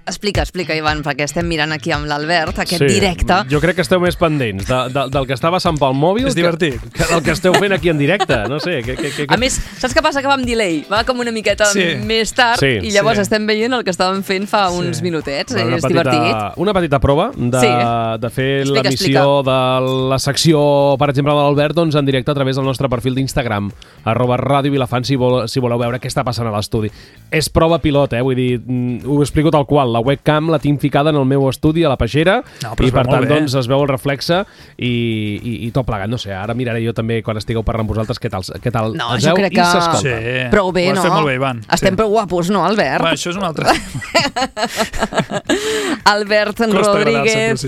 Explica, Ivan, perquè estem mirant aquí amb l'Albert, aquest directe. Jo crec que esteu més pendents del que està passant pel mòbil és divertit. Que del que esteu fent aquí en directe. No sé. A més, saps què passa? Que va amb delay. Va com una miqueta més tard i llavors estem veient el que estàvem fent fa uns minutets. És divertit. Una petita prova de fer l'emissió de la secció, per exemple, de l'Albert, doncs en directe a través del nostre perfil d'Instagram, @radiovilafant, si voleu veure què està passant a l'estudi. És prova pilot, vull dir, ho explico tal qual. La webcam la tinc ficada en el meu estudi a la peixera i per tant doncs es veu el reflexe i tot plegat. No sé, ara miraré jo també quan estigueu parlant vosaltres què tal no, es veu i s'escolta. Sí. Prou bé, no? Ho has fet molt bé, Ivan. Estem prou guapos, no, Albert? Va, això és un altre Albert Rodríguez,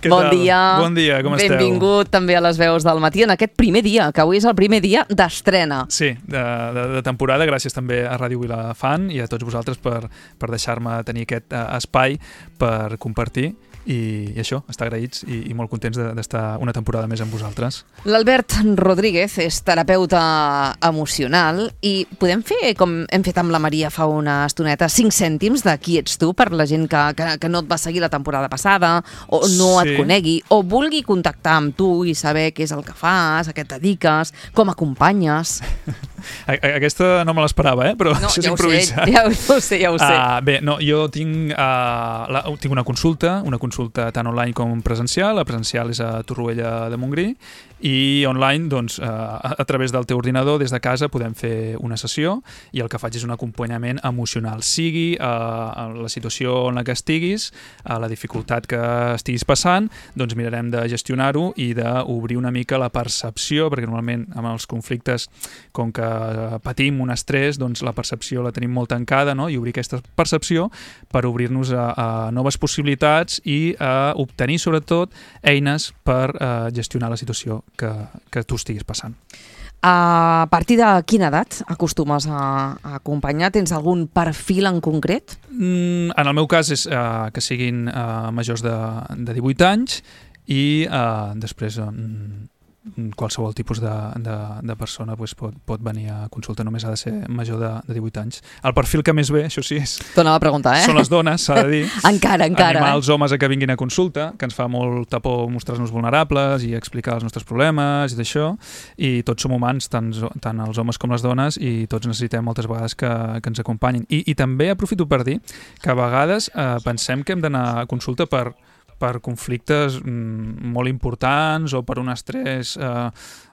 bon dia. Bon dia, com esteu? Benvingut també a les veus del matí en aquest primer dia, que avui és el primer dia d'estrena. Sí, de temporada. Gràcies també a Ràdio Vilafant i a tots vosaltres per deixar-me tenir aquest espai per compartir i això, estar agraïts i molt contents d'estar una temporada més amb vosaltres. L'Albert Rodríguez és terapeuta emocional i podem fer, com hem fet amb la Maria fa una estoneta, 5 cèntims de qui ets tu per la gent que no et va seguir la temporada passada o no et conegui o vulgui contactar amb tu i saber què és el que fas, a què et dediques, com acompanyes. Aquesta no me l'esperava, però això és improvisat. Ja ho sé. Bé, no, jo tinc una consulta tant online com presencial. La presencial és a Torroella de Montgrí i online, doncs, a través del teu ordinador, des de casa, podem fer una sessió i el que faig és un acompanyament emocional, sigui a la situació en la que estiguis, a la dificultat que estiguis passant, doncs mirarem de gestionar-ho i d'obrir una mica la percepció, perquè normalment amb els conflictes, com que patim un estrès, doncs la percepció la tenim molt tancada, no? I obrir aquesta percepció per obrir-nos a noves possibilitats i a obtenir, sobretot, eines per gestionar la situació que tu estiguis passant. A partir de quina edat acostumes a acompanyar? Tens algun perfil en concret? En el meu cas és que siguin majors de 18 anys i després qualsevol tipus de persona pot venir a consulta, només ha de ser major de 18 anys. El perfil que més ve, això sí, t'anava a preguntar, són les dones, s'ha de dir. Encara. Animar els homes a que vinguin a consulta, que ens fa molta por mostrar-nos vulnerables i explicar els nostres problemes i d'això, i tots som humans, tant els homes com les dones, i tots necessitem moltes vegades que ens acompanyin. I també aprofito per dir que a vegades pensem que hem d'anar a consulta per conflictes molt importants o per un estrès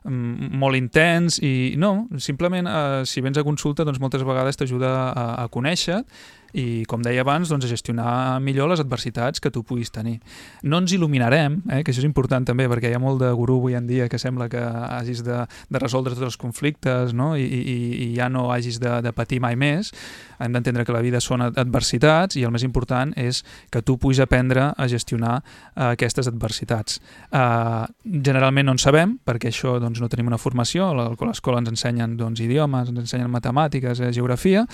molt intens i no, simplement si vens a consulta doncs moltes vegades t'ajuda a conèixer i, com deia abans, doncs, a gestionar millor les adversitats que tu puguis tenir. No ens il·luminarem, que això és important també, perquè hi ha molt de gurú avui en dia que sembla que hagis de resoldre tots els conflictes, no? I ja no hagis de patir mai més. Hem d'entendre que la vida són adversitats i el més important és que tu puguis aprendre a gestionar aquestes adversitats. Generalment no en sabem, perquè això doncs, no tenim una formació. A l'escola ens ensenyen idiomes, ens ensenyen matemàtiques, geografia.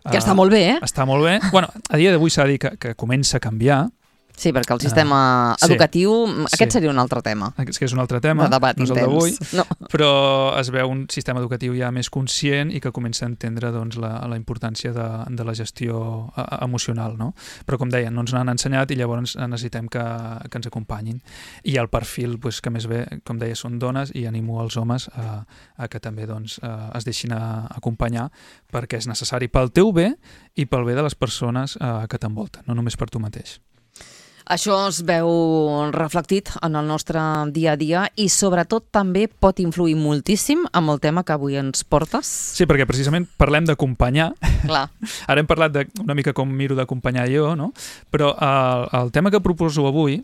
Que està molt bé, Està molt bé. Bueno, a dia d'avui s'ha de dir que comença a canviar. Sí, perquè el sistema educatiu, aquest seria un altre tema. És que és un altre tema, de debat no és el d'avui, no. Però es veu un sistema educatiu ja més conscient i que comença a entendre doncs, la importància de la gestió emocional, no? Però, com deia, no ens n'han ensenyat i llavors necessitem que ens acompanyin. I el perfil que més bé, com deia, són dones i animo els homes a que també doncs, es deixin acompanyar perquè és necessari pel teu bé i pel bé de les persones que t'envolten, no només per tu mateix. Això es veu reflectit en el nostre dia a dia i sobretot també pot influir moltíssim amb el tema que avui ens portes. Sí, perquè precisament parlem d'acompanyar. Clar. Ara hem parlat una mica com miro d'acompanyar jo, no? Però el tema que proposo avui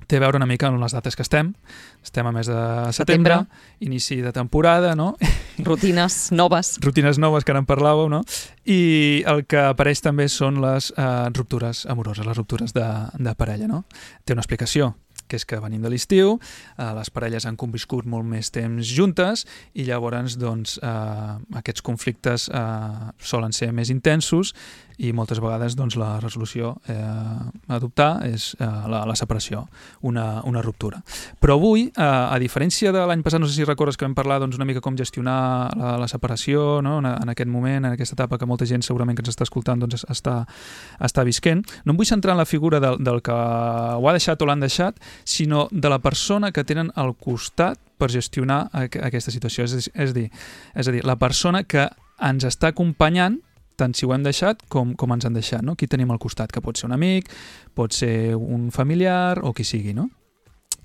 té a veure una mica amb les dates que estem a mes de setembre, inici de temporada, no? Rutines noves. Rutines noves, que ara en parlàveu, no? I el que apareix també són les ruptures amoroses, les ruptures de parella, no? Té una explicació, que és que venim de l'estiu, les parelles han conviscut molt més temps juntes i llavors doncs, aquests conflictes solen ser més intensos i moltes vegades doncs, la resolució a adoptar és la separació, una ruptura. Però avui, a diferència de l'any passat, no sé si recordes que vam parlar doncs, una mica com gestionar la separació, no? En aquest moment, en aquesta etapa que molta gent segurament que ens està escoltant doncs, està visquent, no em vull centrar en la figura del que ho ha deixat o l'han deixat, sinó de la persona que tenen al costat per gestionar aquesta situació. És a dir, la persona que ens està acompanyant tant si ho hem deixat com ens han deixat, no? Qui tenim al costat, que pot ser un amic, pot ser un familiar o qui sigui, no?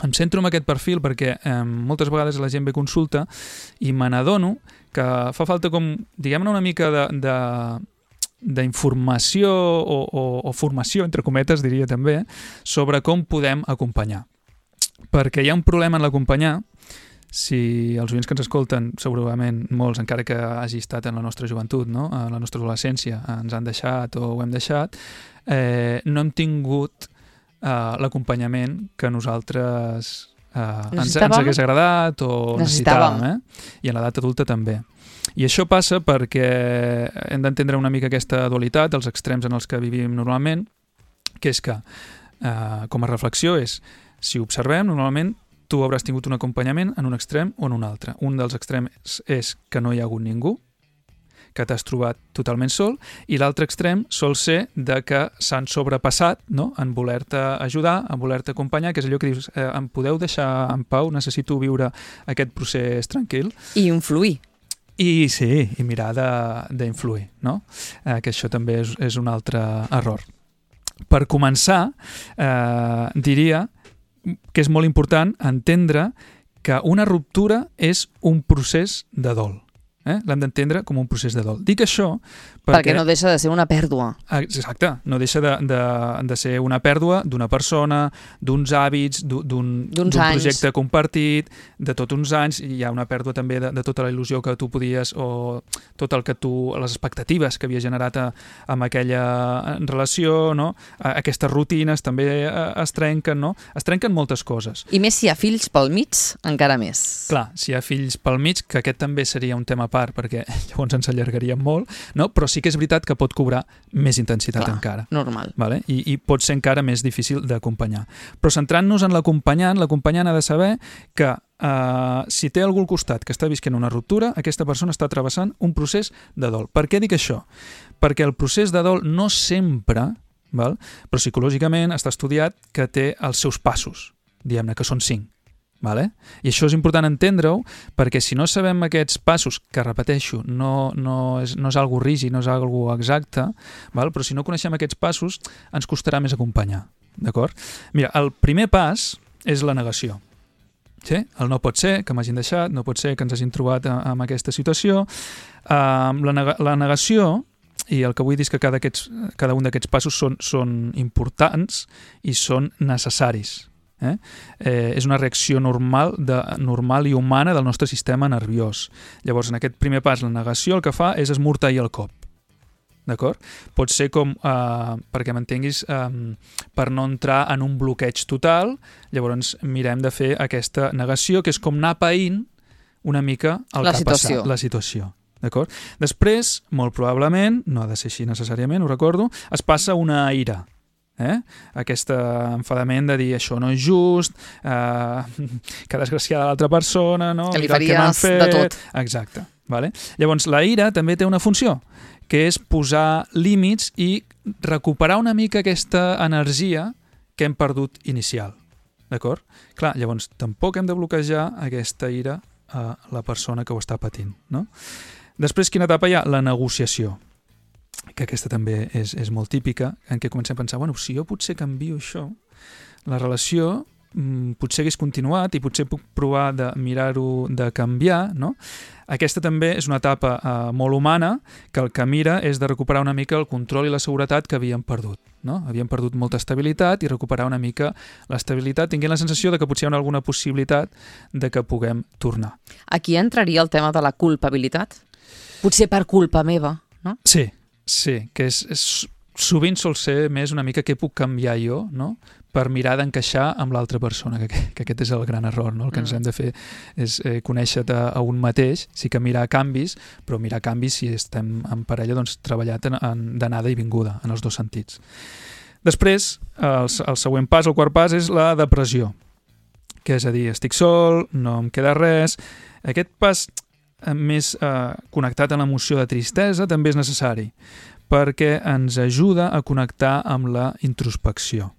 Em centro en aquest perfil perquè moltes vegades la gent ve a consulta i me n'adono que fa falta com, diguem-ne, una mica d'informació o formació, entre cometes, diria també, sobre com podem acompanyar. Perquè hi ha un problema en l'acompanyar. Si els oients que ens escolten, segurament molts, encara que hagi estat en la nostra joventut, no? En la nostra adolescència, ens han deixat o ho hem deixat, no hem tingut l'acompanyament que nosaltres ens hagués agradat o necessitàvem. I en l'edat adulta també. I això passa perquè hem d'entendre una mica aquesta dualitat, els extrems en els que vivim normalment, que és que, com a reflexió, és si observem, normalment tu hauràs tingut un acompanyament en un extrem o en un altre. Un dels extrems és que no hi ha hagut ningú, que t'has trobat totalment sol, i l'altre extrem sol ser de que s'han sobrepassat, no? En voler-te ajudar, en voler-te acompanyar, que és allò que dius, em podeu deixar en pau, necessito viure aquest procés tranquil. I influir. I sí, i mirar d'influir, no? Que això també és un altre error. Per començar, diria que és molt important entendre que una ruptura és un procés de dol. L'hem d'entendre com un procés de dol. Dic això perquè no deixa de ser una pèrdua. Exacte, no deixa de ser una pèrdua d'una persona, d'uns hàbits, d'un projecte compartit, de tots uns anys. Hi ha una pèrdua també de tota la il·lusió que tu podies, o tot el que les expectatives que havia generat amb aquella relació, no? Aquestes rutines també es trenquen, no? Es trenquen moltes coses. I més si hi ha fills pel mig, encara més. Clar, si hi ha fills pel mig, que aquest també seria un tema part, perquè llavors ens allargaríem molt, no? Però sí que és veritat que pot cobrar més intensitat encara. Normal. Vale? I pot ser encara més difícil d'acompanyar. Però centrant-nos en l'acompanyant ha de saber que si té algú al costat que està visquent una ruptura, aquesta persona està travessant un procés de dol. Per què dic això? Perquè el procés de dol no sempre, però psicològicament està estudiat que té els seus passos, diguem-ne que són 5. Vale? I això és important entendre-ho, perquè si no sabem aquests passos, que repeteixo, no és algo rígid, no és algo exacte, però si no coneixem aquests passos ens costarà més acompanyar. D'acord? Mira, el primer pas és la negació. Sí? El no pot ser que m'hagin deixat, no pot ser que ens hagin trobat en aquesta situació. La negació, i el que vull dir és que cada un d'aquests passos són importants i són necessaris. És una reacció normal i humana del nostre sistema nerviós. Llavors, en aquest primer pas, la negació el que fa és esmorteir el cop. D'acord? Pot ser com, perquè m'entenguis, per no entrar en un bloqueig total, llavors mirem de fer aquesta negació, que és com anar païnt una mica el que ha passat, la situació. D'acord? Després, molt probablement, no ha de ser així necessàriament, ho recordo, es passa una ira. Aquest enfadament de dir això no és just, que desgraciada l'altra persona, no? Que li faries de tot. Exacte. Vale? Llavors, la ira també té una funció, que és posar límits i recuperar una mica aquesta energia que hem perdut inicial. D'acord? Clar, llavors, tampoc hem de bloquejar aquesta ira a la persona que ho està patint. No? Després, quina etapa hi ha? La negociació, que aquesta també és molt típica, en què comencem a pensar, bueno, si jo potser canvio això, la relació potser hagués continuat i potser puc provar de mirar-ho de canviar, no? Aquesta també és una etapa molt humana, que el que mira és de recuperar una mica el control i la seguretat que havíem perdut, no? Havíem perdut molta estabilitat i recuperar una mica l'estabilitat, tinguent la sensació de que potser hi ha alguna possibilitat de que puguem tornar. Aquí entraria el tema de la culpabilitat? Potser per culpa meva, no? Sí, que sovint sol ser més una mica què puc canviar jo, no? per mirar d'encaixar amb l'altra persona, que aquest és el gran error, no? El que ens hem de fer és conèixer-te a un mateix, sí que mirar canvis, però mirar canvis si estem en parella, doncs treballar d'anada i vinguda, en els dos sentits. Després, el següent pas, el quart pas, és la depressió, que és a dir, estic sol, no em queda res. Aquest pas més connectat a l'emoció de tristesa també és necessari, perquè ens ajuda a connectar amb la introspecció.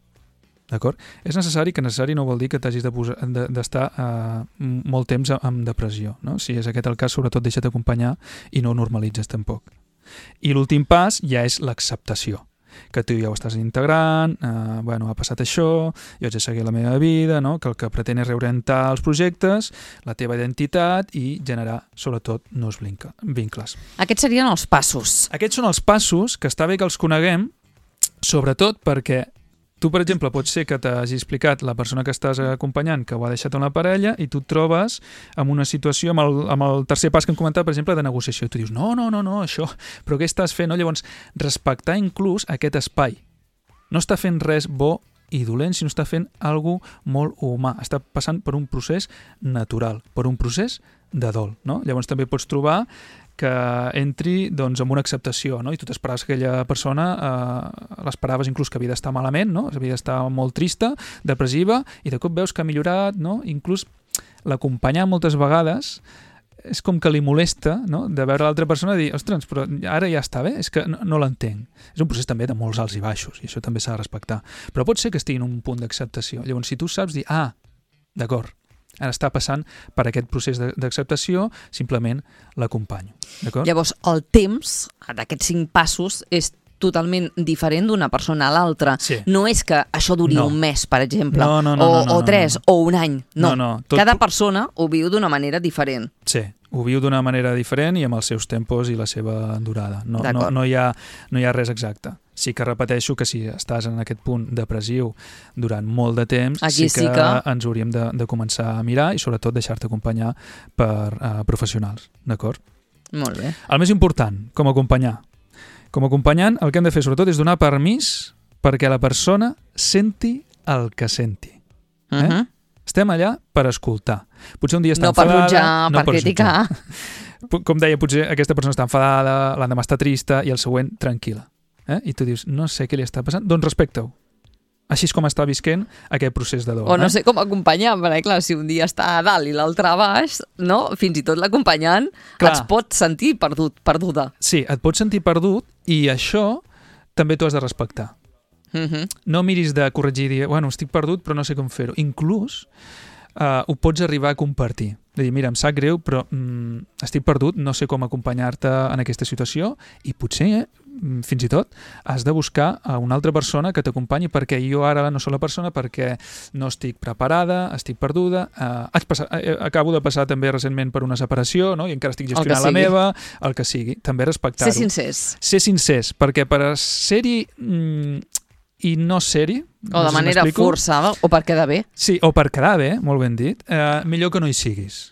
D'acord? És necessari, que necessari no vol dir que t'hagis d'estar molt temps en depressió. No? Si és aquest el cas, sobretot deixa't acompanyar i no ho normalitzes tampoc. I l'últim pas ja és l'acceptació, que tu ja ho estàs integrant, ha passat això, jo haig de seguir la meva vida, no? Que el que pretén és reorientar els projectes, la teva identitat i generar, sobretot, nous vincles. Aquests serien els passos. Aquests són els passos que està bé que els coneguem, sobretot perquè tu, per exemple, pot ser que t'hagi explicat la persona que estàs acompanyant que ho ha deixat amb la parella i tu et trobes en una situació, amb el tercer pas que hem comentat, per exemple, de negociació. I tu dius, no, això, però què estàs fent? No? Llavors, respectar inclús aquest espai. No està fent res bo i dolent, sinó està fent alguna cosa molt humà. Està passant per un procés natural, per un procés de dol. No? Llavors també pots trobar que entri doncs, amb una acceptació, no? I tu t'esperaves que aquella persona l'esperaves inclús que havia d'estar malament, no? Havia d'estar molt trista, depressiva, i de cop veus que ha millorat, no? Inclús l'acompanyar moltes vegades és com que li molesta, no? De veure l'altra persona i dir, ostres, però ara ja està bé, és que no l'entenc. És un procés també de molts alts i baixos, i això també s'ha de respectar. Però pot ser que estigui en un punt d'acceptació. Llavors, si tu saps dir, d'acord, ara està passant per aquest procés d'acceptació, simplement l'acompanyo. Llavors, el temps d'aquests 5 passos és totalment diferent d'una persona a l'altra. Sí. No és que això duri un mes, per exemple, o 3, o un any. No. Cada persona ho viu d'una manera diferent. Sí, ho viu d'una manera diferent i amb els seus tempos i la seva durada. No hi ha res exacte. Sí que repeteixo que si estàs en aquest punt depressiu durant molt de temps, sí que ens hauríem de començar a mirar i sobretot deixar-te acompanyar per professionals, d'acord? Molt bé. El més important, com acompanyar. Com a acompanyant, el que hem de fer sobretot és donar permís perquè la persona senti el que senti. Estem allà per escoltar. Potser un dia està enfadada... No per jutjar, per criticar. Com deia, potser aquesta persona està enfadada, l'endemà està trista i el següent tranquil·la. I tu dius, no sé què li està passant, doncs respecta-ho. Així és com està visquent aquest procés de dol. O no sé com acompanyar, perquè clar, si un dia està a dalt i l'altre a baix, no? Fins i tot l'acompanyant es pot sentir perduda. Sí, et pots sentir perdut i això també t'ho has de respectar. No miris de corregir i dir, bueno, estic perdut però no sé com fer-ho. Inclús ho pots arribar a compartir. De dir, mira, em sap greu, però estic perdut, no sé com acompanyar-te en aquesta situació i potser, fins i tot, has de buscar a una altra persona que t'acompanyi perquè jo ara no soc la persona perquè no estic preparada, estic perduda, acabo de passar també recentment per una separació, no? I encara estic gestionant la meva, el que sigui. També respectar-ho. Ser sincers, perquè per ser-hi i no ser-hi, o de manera forçada, o per quedar bé. Sí, o per quedar bé, molt ben dit, millor que no hi siguis.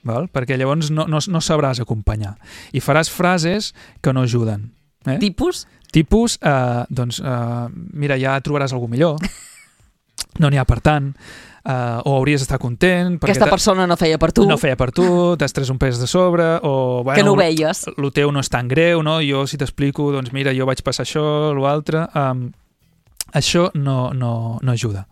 Val? Perquè llavors no sabràs acompanyar. I faràs frases que no ajuden. Tipus? Tipus, mira, ja trobaràs algú millor. No n'hi ha per tant. O hauries d'estar content. Aquesta persona no feia per tu. No feia per tu, t'has tret un pes de sobre, o... que no ho veies. Lo teu no és tan greu, no? Jo, si t'explico, doncs mira, jo vaig passar això, l'altre... Això no ajuda.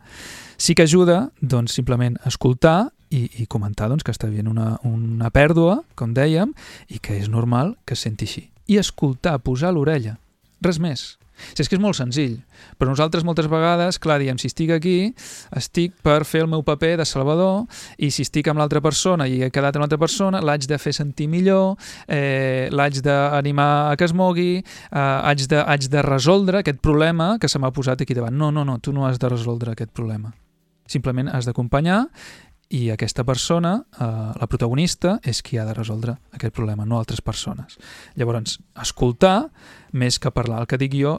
Sí que ajuda, doncs, simplement escoltar i comentar doncs, que està havent una pèrdua, com dèiem, i que és normal que es senti així. I escoltar, posar l'orella. Res més. Si és que és molt senzill, però nosaltres moltes vegades, clar, diem, si estic aquí, estic per fer el meu paper de salvador, i si estic amb l'altra persona i he quedat amb l'altra persona, l'haig de fer sentir millor, l'haig d'animar a que es mogui, haig de resoldre aquest problema que se m'ha posat aquí davant. No, tu no has de resoldre aquest problema. Simplement has d'acompanyar i aquesta persona, la protagonista, és qui ha de resoldre aquest problema, no altres persones. Llavors, escoltar més que parlar. El que dic jo,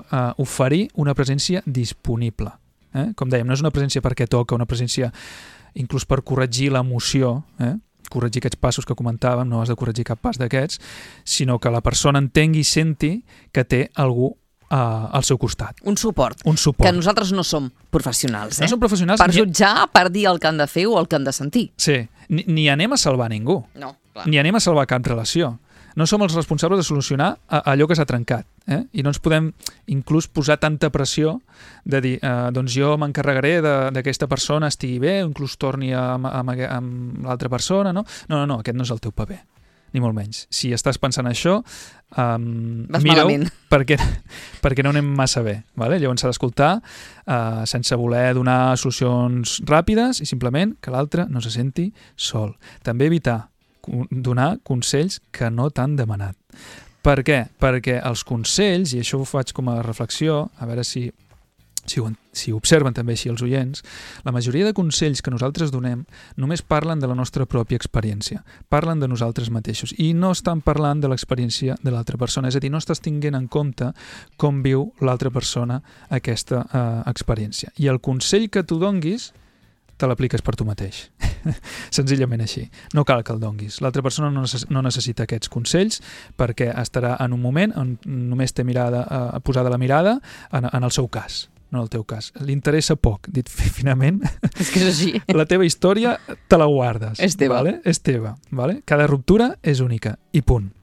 oferir una presència disponible. Com dèiem, no és una presència perquè toca, una presència inclús per corregir l'emoció, corregir aquests passos que comentàvem, no has de corregir cap pas d'aquests, sinó que la persona entengui i senti que té algú al seu costat. Un suport. Que nosaltres no som professionals, No som professionals. Per jutjar, per dir el que han de fer o el que han de sentir. Sí, ni anem a salvar ningú. No, clar. Ni anem a salvar cap relació. No som els responsables de solucionar allò que s'ha trencat. I no ens podem inclús posar tanta pressió de dir, doncs jo m'encarregaré d'aquesta persona estigui bé, inclús torni amb l'altra persona, no? No, aquest no és el teu paper, ni molt menys. Si estàs pensant això, mira-ho, perquè no anem massa bé. Vale? Llavors s'ha d'escoltar sense voler donar solucions ràpides i simplement que l'altre no se senti sol. També evitar donar consells que no t'han demanat. Per què? Perquè els consells, i això ho faig com a reflexió, a veure si observen també així els oients, la majoria de consells que nosaltres donem només parlen de la nostra pròpia experiència, parlen de nosaltres mateixos i no estan parlant de l'experiència de l'altra persona, és a dir, no estàs tinguent en compte com viu l'altra persona aquesta experiència. I el consell que tu donguis te l'apliques per tu mateix. Senzillament així. No cal que el donguis. L'altra persona no necessita aquests consells perquè estarà en un moment on només té posada la mirada en el seu cas, no en el teu cas. Li interessa poc, dit finament. És que és així. La teva història te la guardes. És teva. Vale? És teva. Vale? Cada ruptura és única. I punt.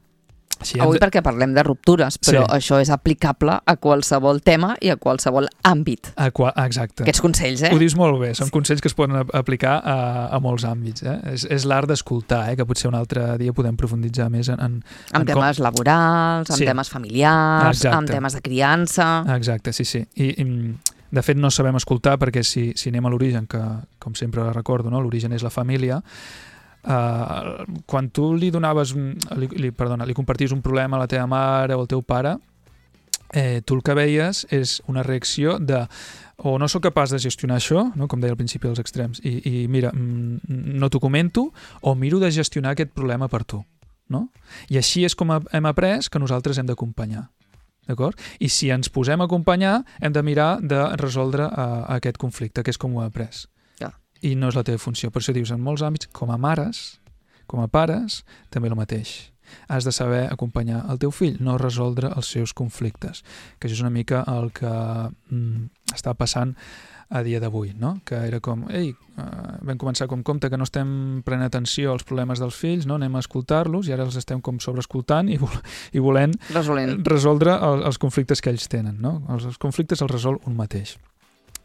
Avui perquè parlem de ruptures, però això és aplicable a qualsevol tema i a qualsevol àmbit. Exacte. Aquests consells, Ho dius molt bé, són consells que es poden aplicar a molts àmbits. És l'art d'escoltar, que potser un altre dia podem profunditzar més en temes laborals, en temes familiars, en temes de criança... Exacte, sí. I de fet no sabem escoltar perquè si anem a l'origen, que com sempre recordo, no? L'origen és la família. Quan tu li comparties un problema a la teva mare o al teu pare, tu el que veies és una reacció de o no sóc capaç de gestionar això, no? Com deia al principi dels extrems, i mira, no t'ho comento, o miro de gestionar aquest problema per tu, no? I així és com hem après que nosaltres hem d'acompanyar. D'acord? I si ens posem a acompanyar, hem de mirar de resoldre aquest conflicte, que és com ho he après. I no és la teva funció. Per això dius, en molts àmbits, com a mares, com a pares, també el mateix. Has de saber acompanyar el teu fill, no resoldre els seus conflictes. Que això és una mica el que està passant a dia d'avui, no? Que era com, vam començar com compte que no estem prenent atenció als problemes dels fills, no? Anem a escoltar-los i ara els estem com sobreescoltant i volent resoldre els conflictes que ells tenen, no? Els conflictes els resol un mateix.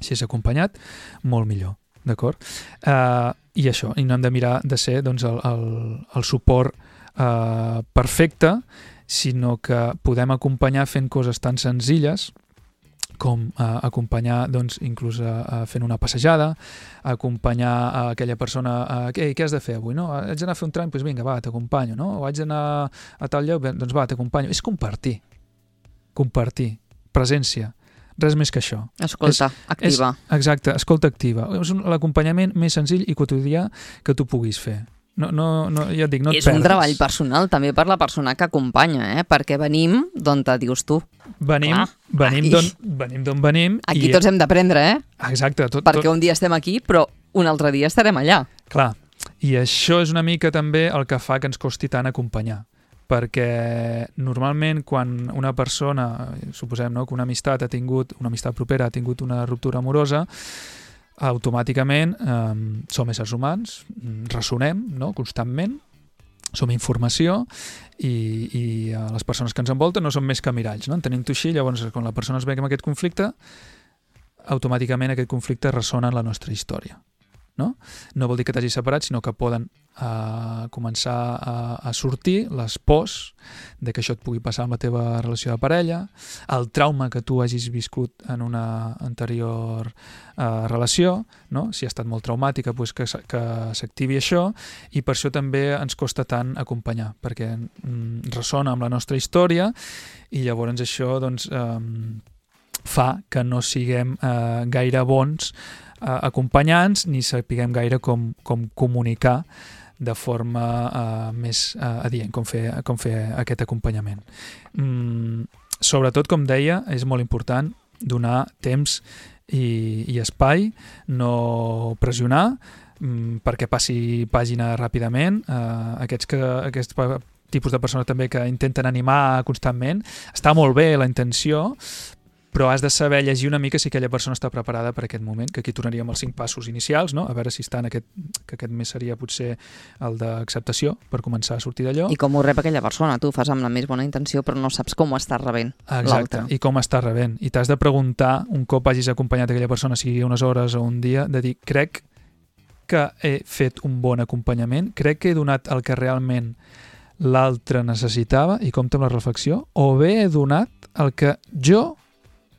Si és acompanyat, molt millor. D'acord? I això, i no hem de mirar de ser doncs, el suport perfecte, sinó que podem acompanyar fent coses tan senzilles com acompanyar doncs, inclús fent una passejada, acompanyar aquella persona què has de fer avui? No? Haig d'anar a fer un tram? Doncs vinga, va, t'acompanyo. No? O haig d'anar a tal lloc? Doncs va, t'acompanyo. És compartir, presència. Res més que això. Escolta activa. Exacte, escolta activa. És l'acompanyament més senzill i quotidià que tu puguis fer. Ja et dic, no et perdes. És un treball personal també per la persona que acompanya, perquè venim d'on te dius tu. Venim d'on venim. Aquí tots hem d'aprendre, Exacte. Perquè un dia estem aquí, però un altre dia estarem allà. Clar, i això és una mica també el que fa que ens costi tant acompanyar. Perquè normalment quan una persona, suposem que una amistat propera ha tingut una ruptura amorosa, automàticament som éssers humans, ressonem constantment, som informació i les persones que ens envolten no són més que miralls. No? Entenent-ho així, llavors quan la persona es veu amb aquest conflicte, automàticament aquest conflicte ressona en la nostra història. No vol dir que t'hagis separat, sinó que poden començar a sortir les pors de que això et pugui passar amb la teva relació de parella, el trauma que tu hagis viscut en una anterior relació, no? Si ha estat molt traumàtica, doncs que s'activi això, i per això també ens costa tant acompanyar, perquè ressona amb la nostra història i llavors això doncs, fa que no siguem gaire bons acompanyants ni sapiguem gaire com comunicar de forma més adient, com fer aquest acompanyament. Sobretot, com deia, és molt important donar temps i espai, no pressionar perquè passi pàgina ràpidament. Aquests tipus de persona també que intenten animar constantment. Està molt bé la intenció, però has de saber llegir una mica si aquella persona està preparada per aquest moment, que aquí tornaríem als 5 passos inicials, no? A veure si està en que aquest mes seria potser el d'acceptació per començar a sortir d'allò. I com ho rep aquella persona? Tu fas amb la més bona intenció però no saps com ho està rebent l'altre. Exacte, i com està rebent. I t'has de preguntar, un cop hagis acompanyat aquella persona, sigui unes hores o un dia, de dir, crec que he fet un bon acompanyament, crec que he donat el que realment l'altre necessitava, i compta amb la reflexió, o bé he donat el que jo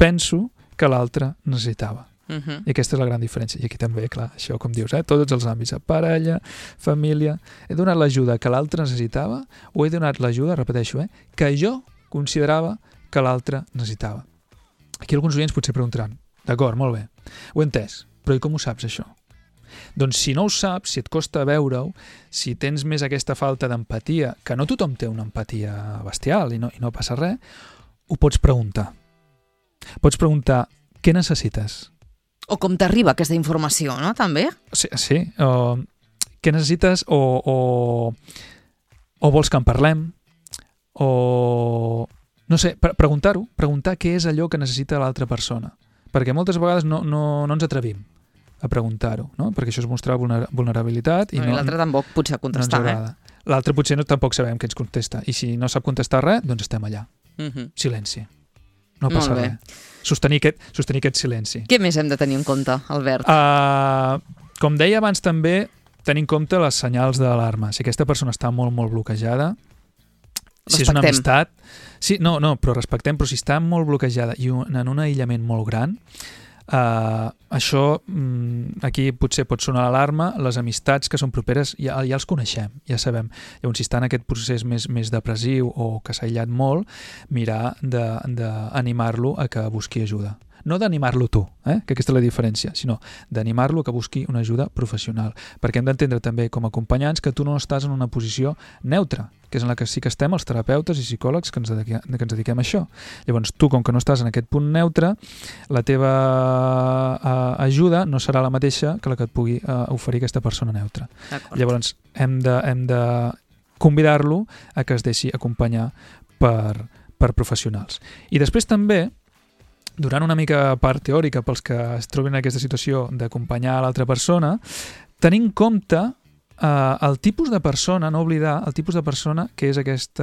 penso que l'altre necessitava. I aquesta és la gran diferència. I aquí també, clar, això com dius, tots els àmbits, parella, família... He donat l'ajuda que l'altre necessitava o he donat l'ajuda, repeteixo, que jo considerava que l'altre necessitava. Aquí alguns oients potser preguntaran, d'acord, molt bé, ho he entès, però i com ho saps, això? Doncs si no ho saps, si et costa veure-ho, si tens més aquesta falta d'empatia, que no tothom té una empatia bestial i no passa res, ho pots preguntar. Pots preguntar què necessites. O com t'arriba aquesta informació, no? També? Sí. Què necessites o vols que en parlem? O... No sé, preguntar-ho. Preguntar què és allò que necessita l'altra persona. Perquè moltes vegades no ens atrevim a preguntar-ho, no? Perquè això és mostrar vulnerabilitat. I l'altre tampoc potser contestar, L'altre potser tampoc sabem què ens contesta. I si no sap contestar res, doncs estem allà. Silenci. No passa res. Sostenir aquest silenci. Què més hem de tenir en compte, Albert? Com deia abans també, tenir en compte les senyals d'alarma. Si aquesta persona està molt, molt bloquejada, si és una amistat... Sí, no, però respectem, però si està molt bloquejada i en un aïllament molt gran, això aquí potser pot sonar l'alarma. Les amistats que són properes ja els coneixem, ja sabem. Llavors, si està en aquest procés més depressiu o que s'ha aïllat molt, mirar d'animar-lo a que busqui ajuda. No d'animar-lo tu, que aquesta és la diferència, sinó d'animar-lo a que busqui una ajuda professional. Perquè hem d'entendre també com a acompanyants que tu no estàs en una posició neutra, que és en la que sí que estem els terapeutes i psicòlegs que ens dediquem a això. Llavors, tu, com que no estàs en aquest punt neutre, la teva ajuda no serà la mateixa que la que et pugui oferir aquesta persona neutra. Llavors, hem de convidar-lo a que es deixi acompanyar per professionals. I després també, donant una mica part teòrica pels que es troben en aquesta situació d'acompanyar a l'altra persona, tenir en compte el tipus de persona, no oblidar el tipus de persona que és aquest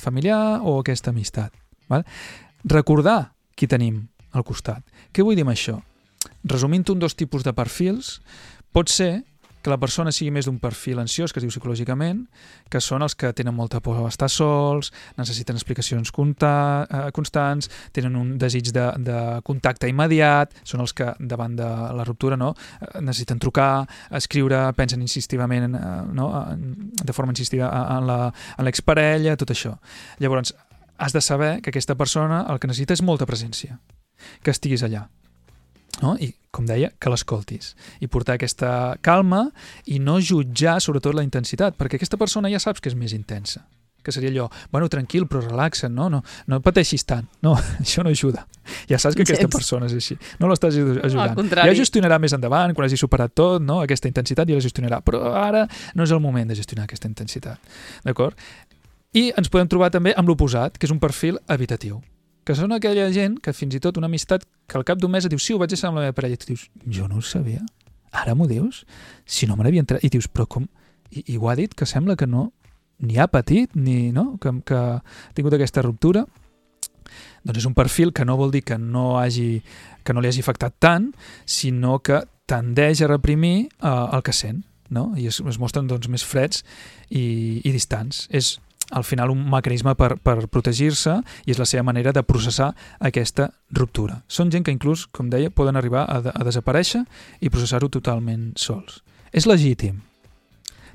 familiar o aquesta amistat. Val? Recordar qui tenim al costat. Què vull dir amb això? Resumint-ho en 2 tipus de perfils, pot ser que la persona sigui més d'un perfil ansiós, que es diu psicològicament, que són els que tenen molta por a estar sols, necessiten explicacions constants, tenen un desig de contacte immediat, són els que davant de la ruptura necessiten trucar, escriure, pensen insistivament, de forma insistiva en l'exparella, tot això. Llavors, has de saber que aquesta persona el que necessita és molta presència, que estiguis allà. No? I, com deia, que l'escoltis i portar aquesta calma i no jutjar sobretot la intensitat, perquè aquesta persona ja saps que és més intensa, que seria allò, bueno, tranquil, però relaxa't, no pateixis tant, no, això no ajuda, ja saps que aquesta persona és així, no l'estàs ajudant, ja gestionarà més endavant, quan hagi superat tot, no? Aquesta intensitat ja la gestionarà, però ara no és el moment de gestionar aquesta intensitat, d'acord? I ens podem trobar també amb l'oposat, que és un perfil evitatiu, que són aquella gent que fins i tot una amistat que al cap d'un mes et diu, sí, ho vaig deixar amb la meva parella, i tu dius, jo no ho sabia, ara m'ho dius? Si no me n'havia entrat, i dius, però com? I ho ha dit, que sembla que no, ni ha patit, ni que ha tingut aquesta ruptura. Doncs és un perfil que no vol dir que no li hagi afectat tant, sinó que tendeix a reprimir el que sent, no? I es mostren doncs, més freds i distants. És al final un mecanisme per protegir-se i és la seva manera de processar aquesta ruptura. Són gent que inclús, com deia, poden arribar a desaparèixer i processar-ho totalment sols. És legítim.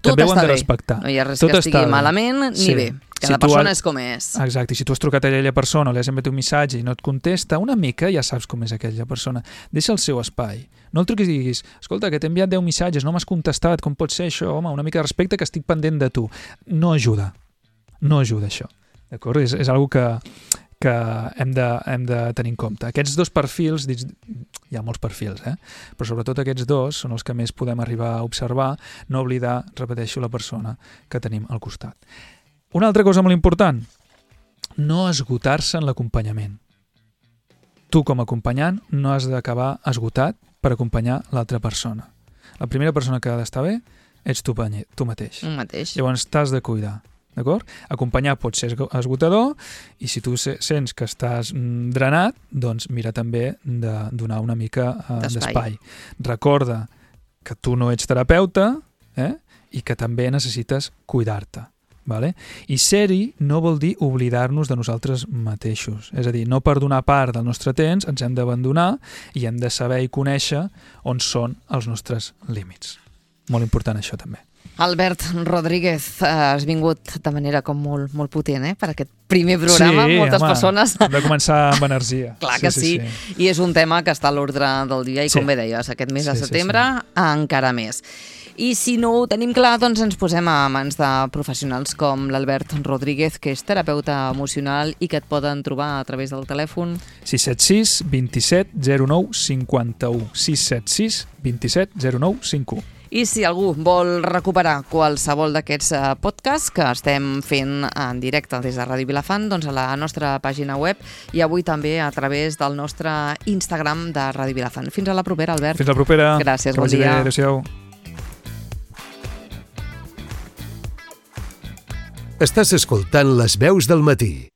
També ho han de respectar. No hi ha res que estigui malament ni bé. Cada persona és com és. Exacte, i si tu has trucat a aquella persona o li has enviat un missatge i no et contesta, una mica ja saps com és aquella persona. Deixa el seu espai. No el truquis i diguis, escolta, que t'he enviat 10 missatges, no m'has contestat, com pot ser això? Home, una mica de respecte, que estic pendent de tu. No ajuda. No ajuda això, d'acord? És algo que hem de tenir en compte. Aquests 2 perfils, hi ha molts perfils, però sobretot aquests 2 són els que més podem arribar a observar, no oblidar, repeteixo, la persona que tenim al costat. Una altra cosa molt important, no esgotar-se en l'acompanyament. Tu, com a acompanyant, no has d'acabar esgotat per acompanyar l'altra persona. La primera persona que ha d'estar bé ets tu mateix. Llavors t'has de cuidar, d'acord? Acompanyar pot ser esgotador i si tu sents que estàs drenat, doncs mira també de donar una mica d'espai. Recorda que tu no ets terapeuta i que també necessites cuidar-te. Vale? I ser-hi no vol dir oblidar-nos de nosaltres mateixos. És a dir, no per donar part del nostre temps ens hem d'abandonar i hem de saber i conèixer on són els nostres límits. Molt important això també. Albert Rodríguez, has vingut de manera com molt potent per aquest primer programa. Sí, moltes persones... hem de començar amb energia. Clar que sí. I és un tema que està a l'ordre del dia i com bé deies, aquest mes de setembre encara més. I si no ho tenim clar, doncs ens posem a mans de professionals com l'Albert Rodríguez, que és terapeuta emocional i que et poden trobar a través del telèfon 676 27 09 51 676 27 09 51. I si algú vol recuperar qualsevol d'aquests podcasts que estem fent en directe des de Ràdio Vilafant, doncs a la nostra pàgina web i avui també a través del nostre Instagram de Ràdio Vilafant. Fins a la propera, Albert. Fins la propera. Gràcies, bon dia. Adéu-siau. Estàs escoltant Les Veus del Matí.